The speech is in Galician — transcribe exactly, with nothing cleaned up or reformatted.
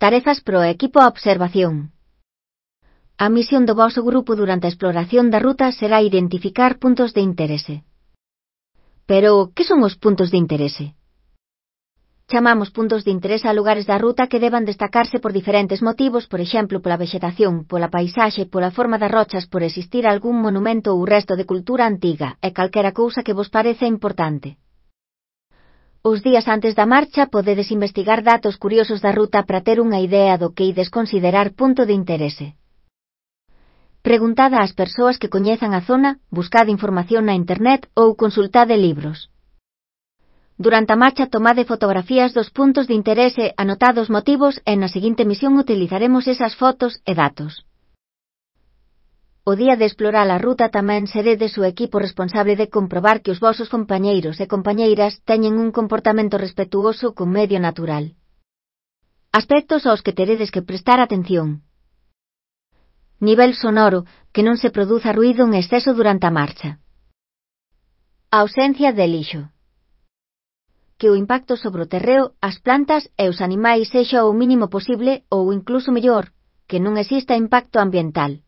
Tarefas pro equipo a observación. A misión do voso grupo durante a exploración da ruta será identificar puntos de interese. Pero, que son os puntos de interese? Chamamos puntos de interese a lugares da ruta que deban destacarse por diferentes motivos, por exemplo, pola vexetación, pola paisaxe, pola forma das rochas, por existir algún monumento ou resto de cultura antiga, e calquera cousa que vos parece importante. Os días antes da marcha podedes investigar datos curiosos da ruta para ter unha idea do que ides considerar punto de interese. Preguntad ás persoas que coñezan a zona, buscad información na internet ou consultade libros. Durante a marcha tomade fotografías dos puntos de interese, anotad os motivos e na seguinte misión utilizaremos esas fotos e datos. O día de explorar a ruta tamén seredes o equipo responsable de comprobar que os vosos compañeiros e compañeiras teñen un comportamento respetuoso co medio natural. Aspectos aos que teredes que prestar atención. Nivel sonoro, que non se produza ruído en exceso durante a marcha. A ausencia de lixo. Que o impacto sobre o terreo, as plantas e os animais sexa o mínimo posible ou incluso mellor, que non exista impacto ambiental.